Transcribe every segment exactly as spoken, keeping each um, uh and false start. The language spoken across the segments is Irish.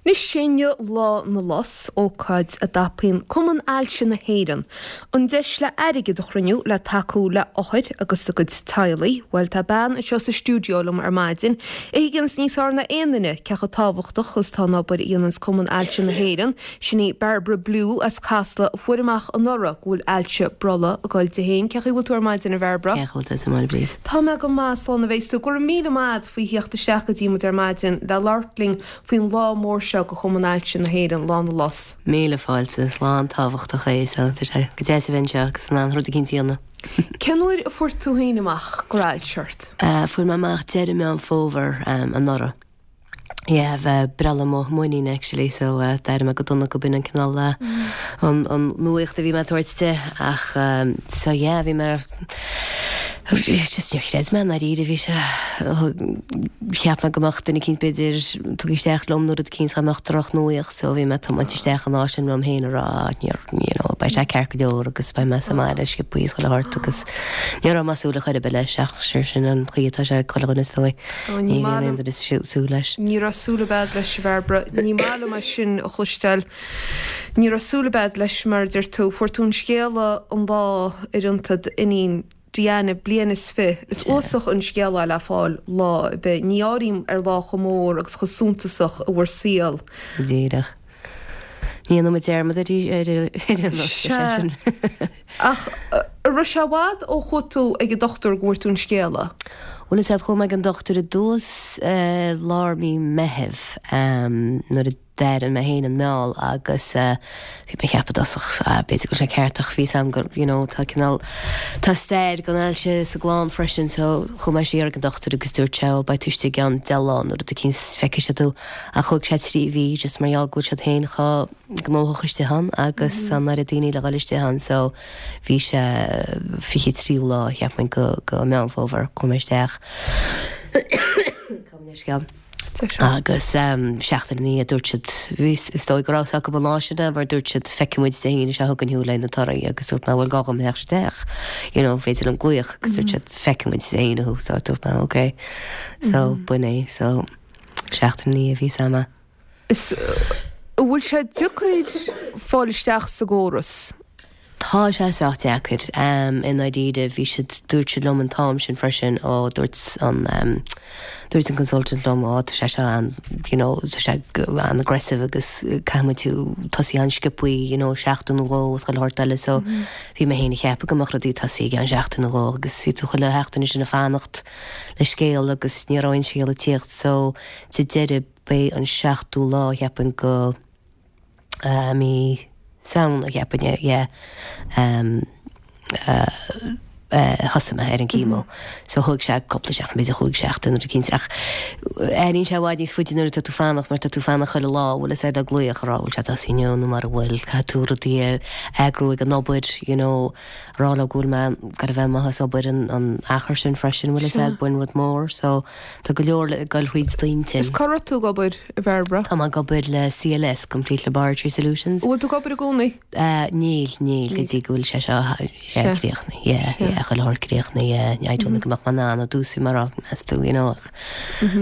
Anois sé inniu Lá na Lus, ócáid a dtapaíonn Cumann Ailse na hÉireann an deis le airgead a chruinniú le tacú le othair agus a gcuid teaghlaigh. Bhuel tá bean anseo sa stiúideo liom ar maidin, a thuigeanns níos fearr ná aon duine cé chomh tábhachtach is atá an obair a dhéananns Cumann Ailse na hÉireann, sin í Barbara Blue as Casla a fuair amach anuraidh go bhfuil ailse brollaigh ag goil di féin. Cén chaoi a bhfuil tú ar maidin a Bhairbre? Cén chaoi a bhfuil tusa, Máire Bríd? Tá mé go maith, slán a bheas tú. Go raibh míle maith agat faoi theacht isteach go dtí muid ar maidin le labhairt linn faoin lá mór seo do Chumann Ailse na hÉireann, Lá na Lus. Míle fáilte, is lá an-tábhachtach é so tá sé go deas a bheith anseo agus in ann rud eicínt a dhéanamh. Cén uair a fuair tú féin amach go raibh ailse ort? Fuair mé amach deireadh Meán Fómhair anuraidh. Yeah, bheith breithlá mo m'iníne actually so d'éirigh mé go dona go b'in an cineál an an nuaíocht a bhí mé ag tabhairt di ach so yeah bhí mé just níor chreid mé ndáiríre bhí sé cheap mé go mbeadh duine eicínt b'fhéidir tugtha isteach liom nó rud eicínt dá mbeadh drochnuaíocht so bhí mé ag tiomáint isteach an lá sin liom féin a rá níor you know beidh sé ceart go leor agus beidh mé sa mbaile sciobthaí is chuile shórt agus ní raibh mé ag súil ar chor ar bith leis ach sure sin an chaoi atá sé ag chuile dhuine is dóigh. Ní bhíonn aon duine ag súil leis. Ní raibh súil ar bith agat leis a Bhairbre. Ní maith liom é sin a chloisteáil. Ní raibh súil ar bith agat leis mar a deir tú. Fuair tú an scéala an lá ar ionta d'iníon Diana bliain is fiche. Is uafásach an scéal é le fáil lá ar bith. Ní áirím ar lá chomh mór agus chomh suntasach i bhur saol. Díreach. Ní dhéanfaidh muid dearmad ar ar an sé sin. Ach an raibh sé i bhfad ó chuaigh tú ag an dochtúir go bhfuair tú an scéala? Bhuel is ea chuaigh mé ag an dochtúir i dtús lár mí Meithimh nuair a d'airigh mé féin an meall agus bhí mé ag ceapadh i dtosach b'fhéidir go bhfuil sé ceart ach bhí 'fhios a'm go you know tá cineál tá stair den ailse sa gclann freisin so chuaigh mé siar ag an dochtúir agus dúirt sé ó beidh tú istigh i gceann deich lá nó rud eicínt feicfidh siad thú ach thóg sé trí mhí just mar gheall go bhfuil siad féin chomh gnóthach istigh ann agus tá an oiread daoine le dhul istigh ann so bhí sé fiche tríú lá cheapfainn go go Meán Fómhair chuaigh mé isteach. Gabh mo leithscéal. Agus seachtain ina dhiaidh dúirt siad, bhí, is dóigh go raibh 'fhios acu an lá sin é mar dúirt siad feicfidh muid Dé hAoine seo chugainn thú le na torthaí agus dúirt mé bhfuil gá dhom theacht isteach, you know, féidir liom glaoch agus dúirt siad feicfidh muid Dé hAoine thú so dúirt mé ok. So b'in é, so seachtain ina dhiaidh bhí 'fhios a'm. Is, an bhfuil sé deacair fáil isteach sa gcóras? Tá sé sách deacair. I ndáiríre, bhí siad, dúirt siad liom an t-am sin freisin, ó, dúirt an, dúirt an consultant liom, ó, tá sé seo an, you know, tá sé an-aggressive agus caithfidh muid tú tosaí an-sciobthaí, you know, seachtain nó dhó agus chuile shórt eile so bhí mé féin ag ceapadh go mbeadh rudaí ag tosaí i gceann seachtain nó dhó agus bhí tú chuile sheachtain ansin ag fanacht le scéal agus ní raibh aon scéal ag tíocht so sa deireadh b'é an seachtú lá cheapfainn go mí Samhna, cheapfainn, yeah, thosaigh mé ar an chemo. So thóg sé cúpla seachtain, b'fhéidir chúig seachtain nó rud eicínt ach airíonn sé i bhfad níos faide nuair atá tú fanacht mar tá tú fanacht chuile lá, bhfuil fhios a'd ag glaoch a rá bhfuil sé tosaithe inniu nó mara bhfuil, caithfidh tú rudaí a eagrú ag an obair, you know, rá leo go bhfuil mé ag goil a bheith amuigh as obair an an achar sin freisin, bhfuil fhios a'd, b'in rud mór so tá go leor le goil thríd d'intinn. Is cá raibh tú ag obair, a Bhairbre? Tá mé ag obair le CLS, Complete Laboratory Solutions. An bhfuil tú ag obair i gcónaí? Níl, níl, go dtí go bhfuil sé seo críochnaithe, yeah, yeah, chuile shórt críochnaithe, yeah, I don't think go mbeadh mé in ann i dtús bhí mé ag rá, meas tú, you know, ach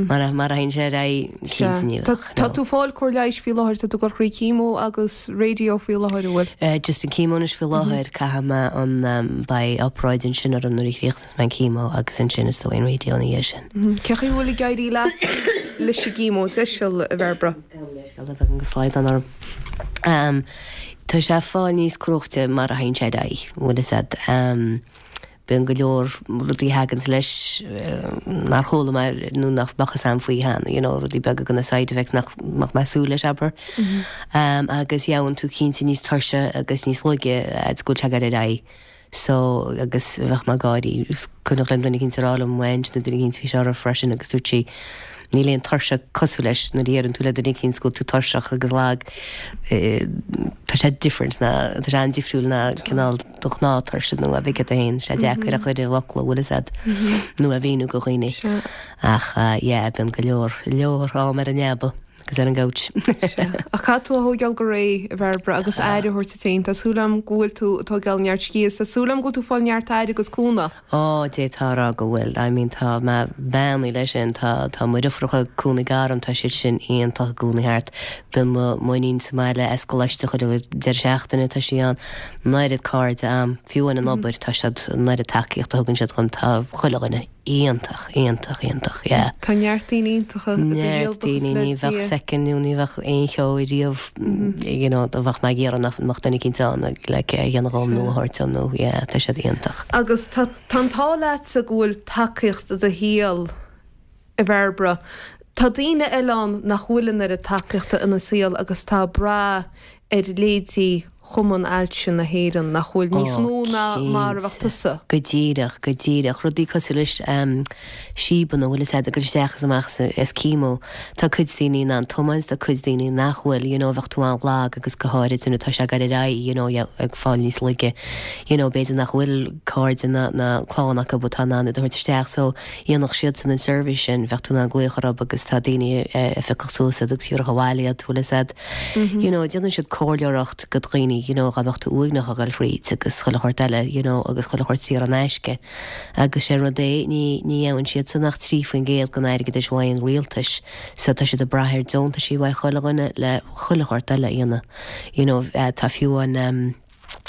mar a, mar a théann sé ar aghaidh, cinnte ní bheadh, no. Tá tú ag fáil cóir leighis faoi láthair, tá tú ag dul thrí chemo agus radio faoi láthair, an bhfuil? Just an chemo anois faoi láthair, caithfidh mé an, beidh obráid ansin orm nuair a chríochnas mé an chemo agus ansin is dóigh an radio ina dhiaidh sin. Cén chaoi a bhfuil ag éirí leat leis an gchemo, deiseal, a Bhairbre? Gabh mo leithscéal, tá beagán de slaghdán orm. Tá sé ag fáil níos cruaichte mar a théann sé ar aghaidh, bhfuil fhios a'd. Bíonn go leor rudaí a thaganns leis nár chuala mé nó nach mbeadh fhios a'm faoi cheana, you know, rudaí beaga de na side effects nach mbeadh mé ag súil leis, abair. Agus gheobhann tú cinnte níos tuirse agus níos laige fhad is go bhfuil sé ag dul ar aghaidh. So, agus bheadh mé ag gáirí, is cuimhneach liom duine eicínt ag rá liom, m'aint nó duine eicínt, bhí sé orthu freisin agus dúirt sí, níl aon tuirse cosúil leis nuair a dheireann tú le duine eicínt go bhfuil tú tuirseach agus lag, tá sé different ná, tá sé an-difriúil ná cineál do ghnáth-tuirse nó a bheith agat féin, sé deacair a chur i bhfocla, bhfuil fhios a'd, nó a mhíniú go dhaoine. Ach yeah, bíonn go leor, leor am ar an leaba. agus ar an gcouch. Ach caithfidh tú a thógáil go réidh, a Bhairbre, agus aire a thabhairt duit féin. Tá súil agam go bhfuil tú ag tógáil neart scíthe, tá súil agam go bhfuil tú ag fáil neart aire agus cúnamh. Ó, d'fhéadfá a rá go bhfuil. I mean tá mé beannaithe leis sin, tá tá mo dheirfiúracha ag cónaí gar dom, tá siad sin iontach i gcónaí thart. Bíonn mo m'iníon sa mbaile as coláiste chuile deireadh seachtaine, tá sí ann. An oiread cairde a'm, fiú amháin an obair, tá siad, an oiread tacaíocht a thugann siad dhom, tá chuile dhuine iontach, iontach, iontach, yeah. Tá neart daoine iontacha i do shaol, Neart daoine, ní bheadh soicind nó ní bheadh aon cheo riamh, you know, dá bheadh mé ag iarraidh nach mbeadh duine eicínt ann like a dhéanamh dhom nó a thabhairt dom nó yeah, tá siad iontach. Agus tá tá an t-ádh leatsa go bhfuil tacaíocht i do shaol, a Bhairbre. Tá daoine eile ann nach bhfuil an oiread tacaíochta ina saol agus tá ag brath ar leithéidí Chumann Ailse na hÉireann, nach bhfuil níos mó ná mar a bheadh tusa. Go díreach, go díreach. Rudaí cosúil leis síobanna, bhfuil fhios a'd, ag dul isteach is amach as chemo. Tá cuid daoine in ann tiomáint, tá cuid daoine nach bhfuil, you know, bheadh tú an-lag agus go háirid nuair atá sé ag dul ar aghaidh, you know, ag fáil níos laige, you know, b'fhéidir nach bhfuil cairde ná ná clann acu atá in ann iad a thabhairt isteach so dhéanfadh siadsan an seirbhís sin, bheadh tú in ann glaoch orthu agus tá daoine a phiocfadh suas iad agus thiúrfadh abhaile iad, bhfuil fhios a'd. You know, déanann siad comhairleoireacht go dhaoine, you know, dá mbeadh tú uaigneach ag dul thríd agus chuile shórt eile, you know, agus chuile shórt saor in aisce. Agus sé rud é, ní, ní fhaigheann siadsan ach trí faoin gcéad den airgeadais uaidh an rialtais, so tá siad ag brath ar deontaisí uaidh chuile dhuine le chuile shórt eile a dhéanamh. You know, tá fiú an, um,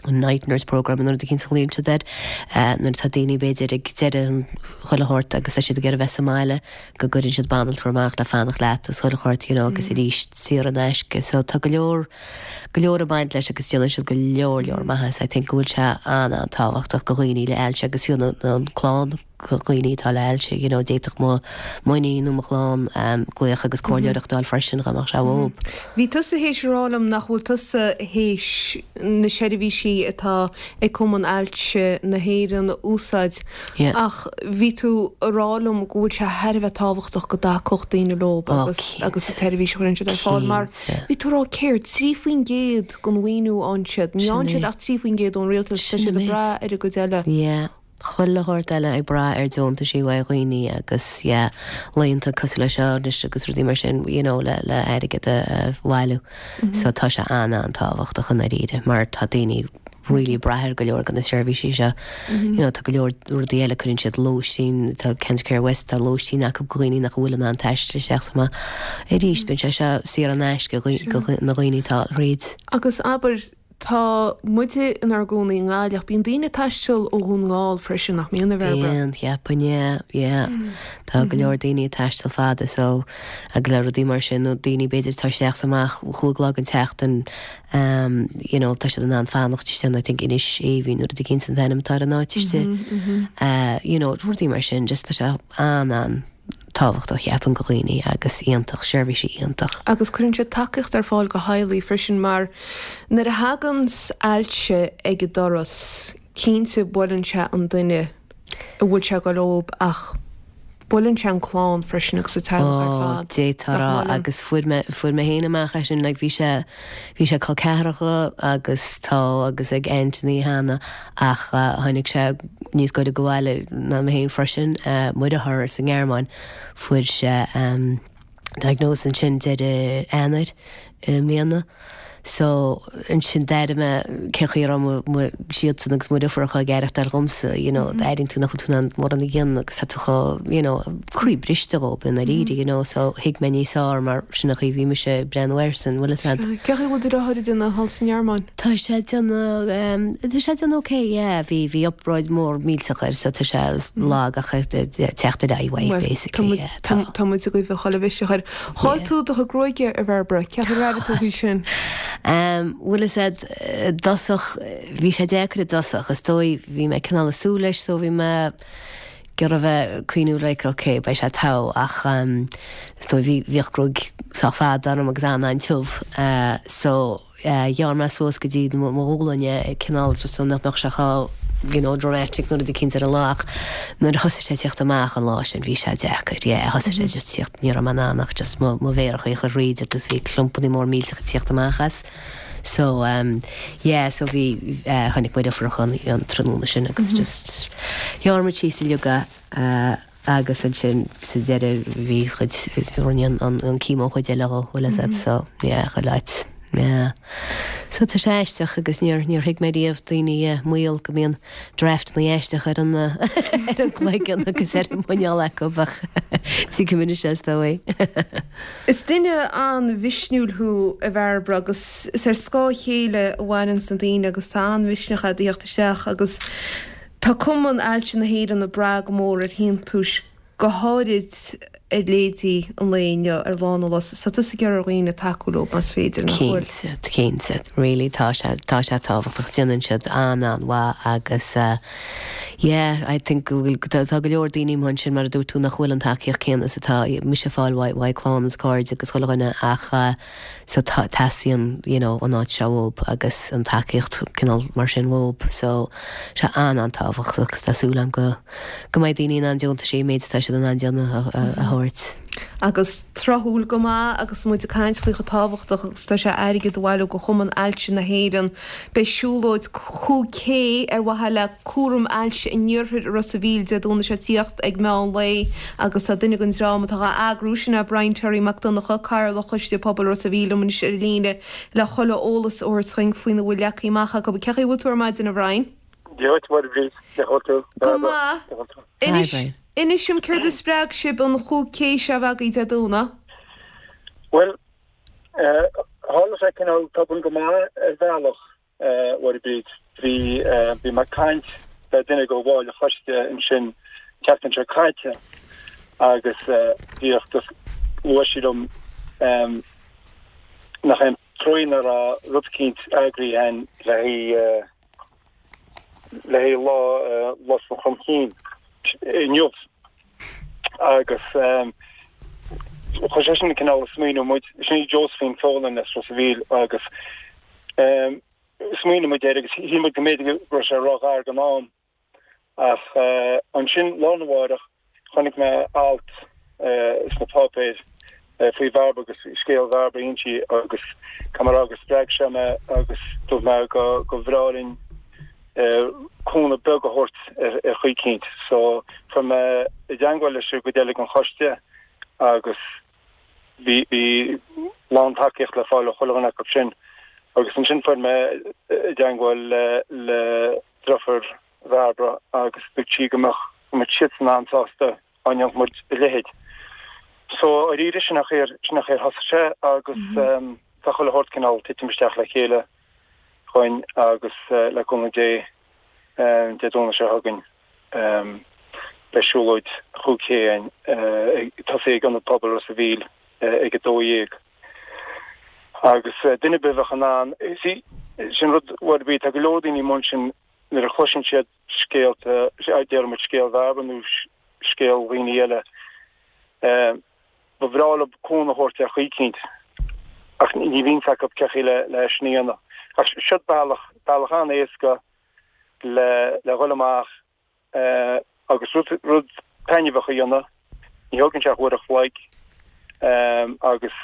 an night nurse programme nó rud eicínt a ghlaonn siad air, nuair atá daoine b'fhéidir ag deireadh an chuile shórt agus tá siad ag iarraidh bheith sa mbaile go gcuireann siad banaltra amach le fanacht leat agus chuile shórt you know agus arís saor in aisce so tá go leor go leor ag baint leis agus déanann siad go leor leor maitheas I think go bhfuil sé an-an-tábhachtach go dhaoine le ailse agus fiú na an clann go dhaoine atá le hailse you know d'fhéadfadh mo m'iníon nó mo chlann glaoch agus comhairleoireacht a fháil freisin dá mbeadh sé uathu. Bhí tusa théis a rá liom nach bhfuil tusa théis na seirbhísí atá ag Cumann Ailse na hÉireann a úsáid ach bhí tú a rá liom go bhfuil sé thar a bheith tábhachtach go dtacódh daoine leo agus agus an tseirbhís a chuireann siad ar fáil mar bhí tú a rá céard, trí faoin gcéad den mhaoiniú a fhaigheann siad, ní fhaigheann siad ach trí faoin gcéad ón rialtas, tá siad ag brath ar an gcuid eile. Yeah. Chuile shórt eile ag brath ar deontaisí uaidh dhaoine agus yeah laethanta cosúil le seo anois agus rudaí mar sin you know le le airgead a a bhailiú. So tá sé an-an-tábhachtach i ndáiríre mar tá daoine really ag brath ar go leor de na seirbhísí seo. You know tá go leor rudaí eile cuireann siad lóistín, tá Cancer Care West tá lóistín acu do dhaoine nach bhfuil in ann taisteal isteach is amach. Arís bíonn sé seo saor in aisce do na dhaoine atá thríd. Agus abair Tá muide inár gcónaí i nGaillimh ach bíonn daoine ag taisteal ó Dhún na nGall freisin, nach mbíonn, a Bhairbre? Bíonn, cheapfainn, yeah, yeah. Tá go leor daoine ag taisteal fada so agus le rudaí mar sin nó daoine b'fhéidir atá isteach is amach chúig lá den tseachtain um you know tá siad in ann fanacht istigh I think Inis Aoibhinn nó rud eicínt an t-ainm atá ar an áit istigh. Uh you know rudaí mar sin just tá sé an-an tábhachtach cheapfainn go dhaoine agus iontach, seirbhísí iontach. Agus cuireann siad tacaíocht ar fáil go theaghlaigh freisin mar nuair a thaganns ailse ag an doras, cinnte buaileann sé an duine a bhfuil sé ag dul leob ach buaileann sé an clann freisin agus an teaghlach ar Ó, fad, d'fhéadfá a nach rá mbuaileann? agus fuair mé, fuair mé féin amach é sin, like bhí sé, bhí sé col ceathracha agus tá agus ag aintíní cheana ach tháinig sé níos gaire go bhaile ná mé féin freisin, mo dheartháir sa nGearmáin, fuair sé diagnosis ansin deireadh Eanáir i mbliana. So ansin d'airigh mé cén chaoi a raibh mo, mo, siadsan agus mo dheirfiúracha ag aireachtáil dhomsa, you know, airíonn tú nach bhfuil tú in ann mórán a dhéanamh agus tá tú chomh, you know, croí briste dhób i ndáiríre, you know, so thuig mé níos fearr mar sin an chaoi a bhí mise ag breathnú airsean, bhfuil fhios a'd. Cén chaoi a bhfuil do dheartháir ag déanamh thall sa nGearmáin? Tá sé ag déanamh, tá sé ag déanamh ok, yeah, bhí, bhí obráid mór millteach air so tá sé lag ach ag teacht ar aghaidh uaidh basically, yeah, tá. Tá muid ag guí chuile mhisneach air. Chaill tú do chuid gruaige, a Bhairbre, cén chaoi ar airigh tú faoi sin? Bhfuil fhios a'd, i dtosach, bhí sé deacair i dtosach, is dóigh, bhí mé cineál ag súil leis so bhí mé ag iarraidh bheith ag cuimhniú like ok beidh sé togha ach is dóigh bhí, bhíodh gruaig sách fada orm agus an-an-tiubh so ghearr mé suas go dtí mo ghualainn é cineál just so nach mbeadh sé chomh you know dramatic nó rud eicínt ar an lá ach nuair a thosaigh sé ag tíocht amach an lá sin bhí sé deacair yeah thosaigh sé just tíocht ní raibh mé in ann ach just mo mo mhéaracha a chur thríd agus bhí clumpannaí mór millteacha ag tíocht amach as so um yeah so bhí eh tháinig mo dheirfiúracha an an tráthnóna sin agus just ghearr muid síos uilig é eh Agus ansin sa deireadh bhí chuid rinne an an chemo chuid eile dhó, bhfuil fhios a'd, so yeah, chuile áit. Yeah. So tá sé aisteach agus níor níor thuig mé riamh daoine eh, maol go mbíonn draftanna aisteach ar an eh, ar an gcloigeann agus ar an muineál acu ach tuigim anois is dóigh. Is duine an-mhisniúil thú a Bhairbre agus is ar scáth a chéile a mhaireann na daoine agus tá an-mhisneach a'd a theacht isteach agus tá Cumann Ailse na hÉireann ag brath go mór ar shíntiúis go háirid ar leithéidí an lae inniu ar Lá na Lus. So tusa ag iarraidh ar dhaoine tacú leo más féidir nach bhfuil. Cinnte, cinnte, really tá sé tá sé tábhachtach déanann siad an-an-mhaith agus uh, yeah, I think go bhfuil tá tá go leor daoine mar sin mar a dúirt tú nach bhfuil an tacaíocht céanna is atá mise fáil uaidh uaidh clann is cairde agus chuile dhuine ach uh, so tá teastaíonn you know, an áit seo uathub agus an tacaíocht cineál mar sin uathub so sé an-an-tábhachtach agus tá súil agam go go mbeidh daoine in ann deontaisí méid atá siad in ann déanamh a, a, a thabhairt. Agus tráthúil go maith agus muid ag caint faoi chomh tábhachtach agus tá sé airgead a bhailiú go Chumann Ailse na hÉireann. Beidh siúlóid cúig K ar mhaithe le cúram ailse in iarthar Ros an Mhíl Dé Domhnaigh seo tíocht ag meán lae agus tá duine den dream atá á eagrú sin é Brian Terry Mac Donncha Cathaoirleach Choiste Pobail Ros an Mhíl anois ar líne le chuile eolas a thabhairt dúinn faoina bhfuil leagtha amach acu. Cén chaoi a bhfuil tú ar maidin a Bhrian? Dia duit Bríd, tú Go maith. Inis Brian. Inis dom céard a spreag sibh an chúig K seo a bheith agaibh Dé Domhnaigh? Well, tharla sé cineál tobann go maith ar bhealach Bríd. Bhí bhí mé ag caint le duine de bhaill an choiste ansin seachtain seo caite agus bhíocht luaigh sí liom nach aon trua nach raibh rud eicínt eagraithe againn le le lá Lus an Chromchinn inniu agus chuir sé sin cineál smaoineamh muid sin í Josephine Folan as Ros an Mhíl agus smaoinigh muid air agus shíl muid go mb'fhéidir go raibh sé róghar don am ach ansin lá arna mhárach chonaic mé alt sna páipéir faoi Bhairbre agus scéal Bhairbre inti agus camar agus spreag sé mé agus dúirt mé go go bhreá linn cúnamh beag a thabhairt ar ar chaoi eicínt. So fuair mé i dteagmháil leis go deilig an choiste agus bhí bhí lán tacaíocht le fáil ó chuile dhuine acu sin. Agus ansin fuair mé i dteagmháil le le deirfiúr Bhairbre agus dúirt sí go mbeadh go mbeadh siadsan an-sásta dá ndéanfadh muid a leithéid. So arís sin nach ar sin nach ar thosaigh sé agus tá chuile shórt cineál titim isteach le chéile chugainn agus le cúnamh Dé Dé Domhnaigh seo chugainn beidh siúlóid chúig K ag tosaí ag Ionad Pobail Ros an Mhíl ag a dó dhéag. Agus duine ar bith a bheadh in ann sin rud rud bhí tá go leor daoine mar sin nuair a chloiseann siad scéalta déarfaidh muid scéal Bhairbre nó scéal dhaoine eile. Ba bhreá leo cúnamh a thabhairt ar chaoi eicínt ach ní bhíonn acu cén chaoi le le sin a dhéanamh. Ach seo bealach bealach an-éasca le le dhul amach agus rud rud taitneamhach a dhéanamh. Ní thógann sé ach uair a chloig agus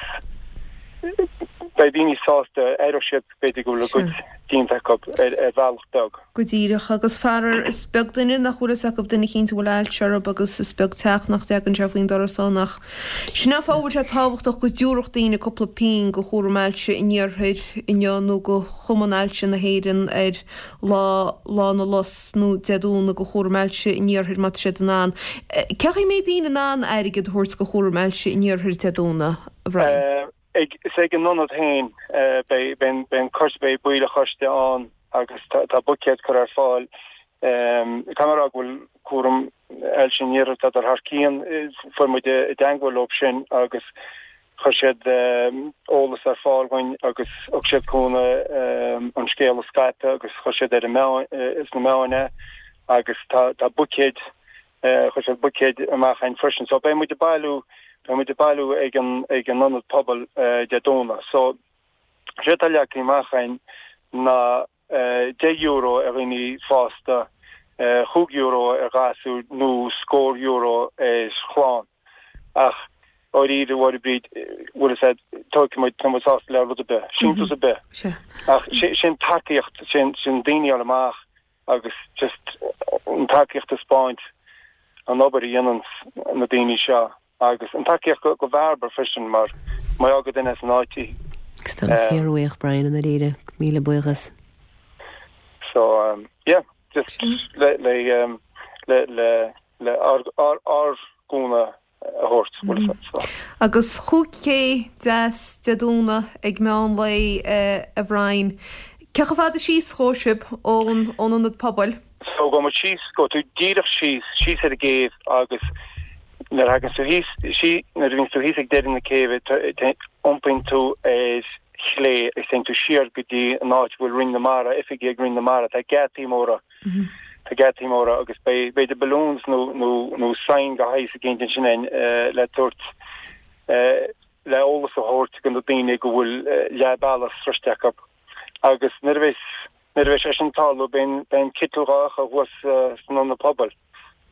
beidh daoine sásta aireoidh siad b'fhéidir go bhfuil a gcuid déanta acu ar ar bhealach beag. Go díreach agus faraor is beag duine nach bhfuil fhios acu duine eicínt a bhfuil ailse orthu agus is beag teach nach dtagann sé faoin doras ann ach sin an fáth a bhfuil sé tábhachtach go dtabharfadh daoine cúpla pingin go chúram ailse in iarthar inniu nó go Chumann Ailse na hÉireann ar lá lá na lus nó Dé Domhnaigh go chúram ailse in iarthar má tá siad in ann. Cén chaoi a mbeidh daoine in ann airgead a thabhairt go chúram ailse in iarthar Dé Domhnaigh, a Bhrian? Ag is ag an ionad féin beidh beidh an coiste beidh baill an choiste ann agus tá buicéad curtha ar fáil. Caithfidh mé a rá go bhfuil cúram ailse in iarthar tá thar cionn fuair muid i dteagmháil leo sin agus chuir siad eolas ar fáil dúinn agus thug siad cúnamh an scéal a scaipeadh agus chuir siad ar an meáin sna meáin é agus tá tá buicéid chuir siad buicéid amach againn freisin. So beidh muid ag bailiú beidh muid ag bailiú ag an ag an ionad pobail Dé Domhnaigh. So sé atá leagtha amach againn ná deich euro ar dhaoine fásta, chúig euro ar ghasúir nó scór euro ar chlann. Ach dáiríre a Bhríd bhfuil fhios a'd tógfaidh muid tá muid sásta le rud ar bith, síntiús ar bith. Ach sin tacaíocht sin sin daoine a fháil amach agus just an tacaíocht a spáint an obair a dhéanann na daoine seo agus an tacaíocht go go Bhairbre freisin mar mar go duine san áit í. Agus tá fíorbhuíoch Brian i ndáiríre, míle buíochas. So um, yeah, just le le um, le le le ár ár ár gcúnamh a thabhairt bhfuil a fhios agat, so. Agus chúig ché deas Dé Domhnaigh ag meán lae eh, a Bhriain. Cé chomh fada síos a ghabhfaidh sibh ón ón ionad pobail? So gabhfaidh muid síos gabhfaidh tú díreach síos síos ar an gcéibh agus nuair a thagann tú thíos sí nuair a bhíonn tú thíos ag deireadh na céibhe iompaíonn tú ar chlé agus téann tú siar go dtí an áit a bhfuil Roinn na Mara, oifigí ag Roinn na Mara, tá geataí móra tá geataí móra agus beidh b'fhéidir balloons nó nó nó sign de shaghas éicint ansin eh, le tabhairt eh, le eolas a thabhairt do na daoine go bhfuil eh, leath bealach sroichte acu. Agus nuair a bheas nuair a bheas sé sin ag tarlú beidh beidh an citeal dhá fhiuchadh thuas eh, san ionad pobail.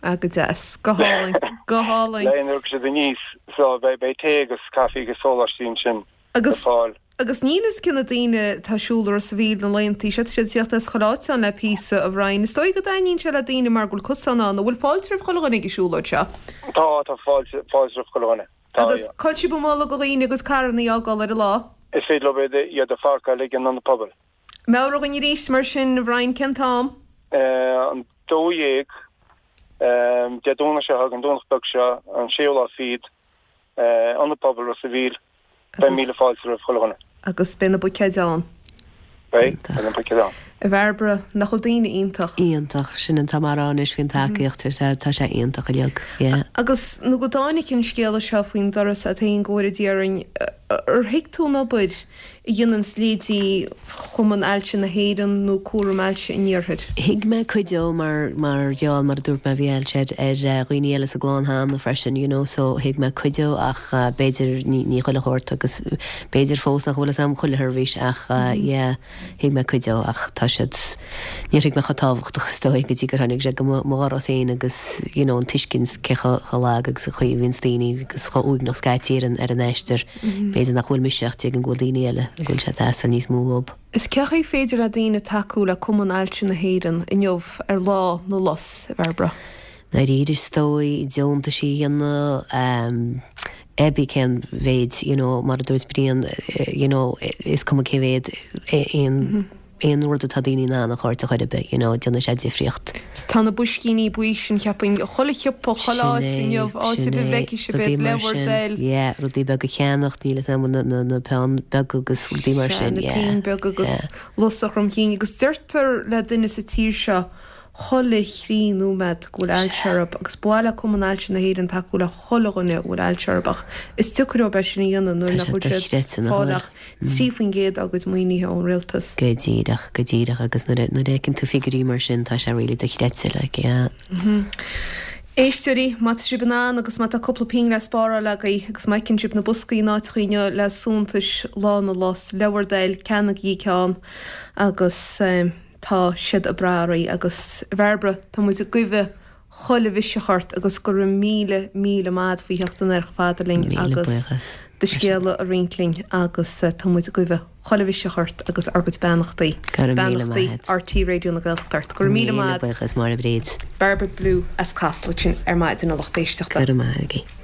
Ah, go deas, go hálainn, go hálainn. Le nuair siad aníos so beidh beidh tae agus caife agus sóláistí ansin le Agus fáil. agus níl fhios cé na daoine atá ag siúl Ros a' Mhíl na laethanta seo siad ag teacht as chuile áit ann le píosa a Bhriain. Is dóigh go dtaitníonn sé le daoine mar go bhfuil cosán ann, an bhfuil fáilte roimh chuile dhuine ag an siúlóid seo. Tá tá fáilte fáilte roimh chuile dhuine. Tá, Agus yeah. cá bhfuil sibh ag moladh do dhaoine agus carranna a fhágáil ar an lá. Is féidir leo iad iad a pháirceáil ag an ionad pobail. Meabhraigh dúinn arís mar sin a Bhriain cén t-am. Eh, an dó dhéag um, Dé Domhnaigh seo an Domhnach beag seo an séú lá fichead uh, ionad pobail Ros a' Mhíl beidh míle fáilte roimh chuile dhuine. Agus beidh na buicéid ann. Beidh beidh na buicéid ann. A Bhairbre nach bhfuil daoine iontach. Iontach sin an t-am anois faoin tacaíocht tá sé iontach uilig. Yeah. Agus nuair a tháinig an scéala seo faoin doras a thaon góir dhéarainn ar thuig tú an obair a dhéanann leithéidí Chumann Ailse na hÉireann nó Cúram Ailse an Iarthair. Thuig mé cuid de mar mar gheall mar a dúirt mé bhí ailse ar ar eh, dhaoine eile sa gclann cheana freisin, you know, so thuig mé cuid de ach uh, b'fhéidir ní ní chuile shórt agus b'fhéidir fós nach bhfuil a fhios agam chuile sheirbhís ach uh, yeah, thuig mé cuid de ach tá siad níor thuig mé chomh tábhachtach is dóigh go dtí gur tháinig sé go mo mo dhoras féin agus you know, an tuiscint cé chomh chomh lag agus a chuí bhíonn daoine agus chomh uaigneach scaití ar an ar an aistear. B'fhéidir nach bhfuil mise ach tuigim go bhfuil daoine eile go bhfuil sé deas níos mó dóibh. Is cén chaoi féidir le daoine tacú le Cumann Ailse na hÉireann inniu ar lá na lus a Bhairbre. Dáiríre is dóigh deontais a dhéanamh um, ebí cén mhéid you know, mar a dúirt Brian eh, you know, is cuma cé mhéad aon aon rud atá daoine in ann a chur a chur be you know, déanann sé difríocht. Tá na boiscíní buí sin ceapaim chuile shiopa chuile áit inniu áit a bhfeicfidh sibh iad le bhur dtoil. Yeah, rudaí beaga a cheannacht níl am na, na, na pinn beaga agus rudaí mar sin na pinn beag agus lus a chromcinn agus deirtear le duine sa tír seo chuile thrí nóiméad go bhfuil ailse orthu agus ba mhaith le Cumann Ailse na hÉireann tacú le chuile dhuine a bhfuil ailse orthu ach is deacair dóibh sin a dhéanamh nuair nach bhfuil siad fáil ach trí faoin gcéad dá gcuid maoinithe ón rialtas. Go díreach go díreach agus nuair a fheiceann tú figiúirí mar sin tá sé really dochreidte like, yeah. Éisteoirí, má tá sibh in ann agus má tá cúpla pingin le spáráil agaibh agus má fheiceann sibh na boscaí in áiteacha inniu le suaitheantais Lá na Lus, le bhur dtoil ceannaígí ceann agus um, tá siad ag brath oraibh agus Bhairbre tá muid ag guí chuile mhiseach ort agus go raibh míle míle maith faoi theacht ar fada linn agus do scéala a roinnt linn agus uh, tá muid ag guí chuile mhiseach ort agus ár gcuid beannachtaí beannachtaí RTÉ Raidió na Gaeltachta ort. Go raibh míle maith buíochas mar a bréid. Bairbre Bloom as Casla sin ar maidin a lucht éisteachta. Go maith.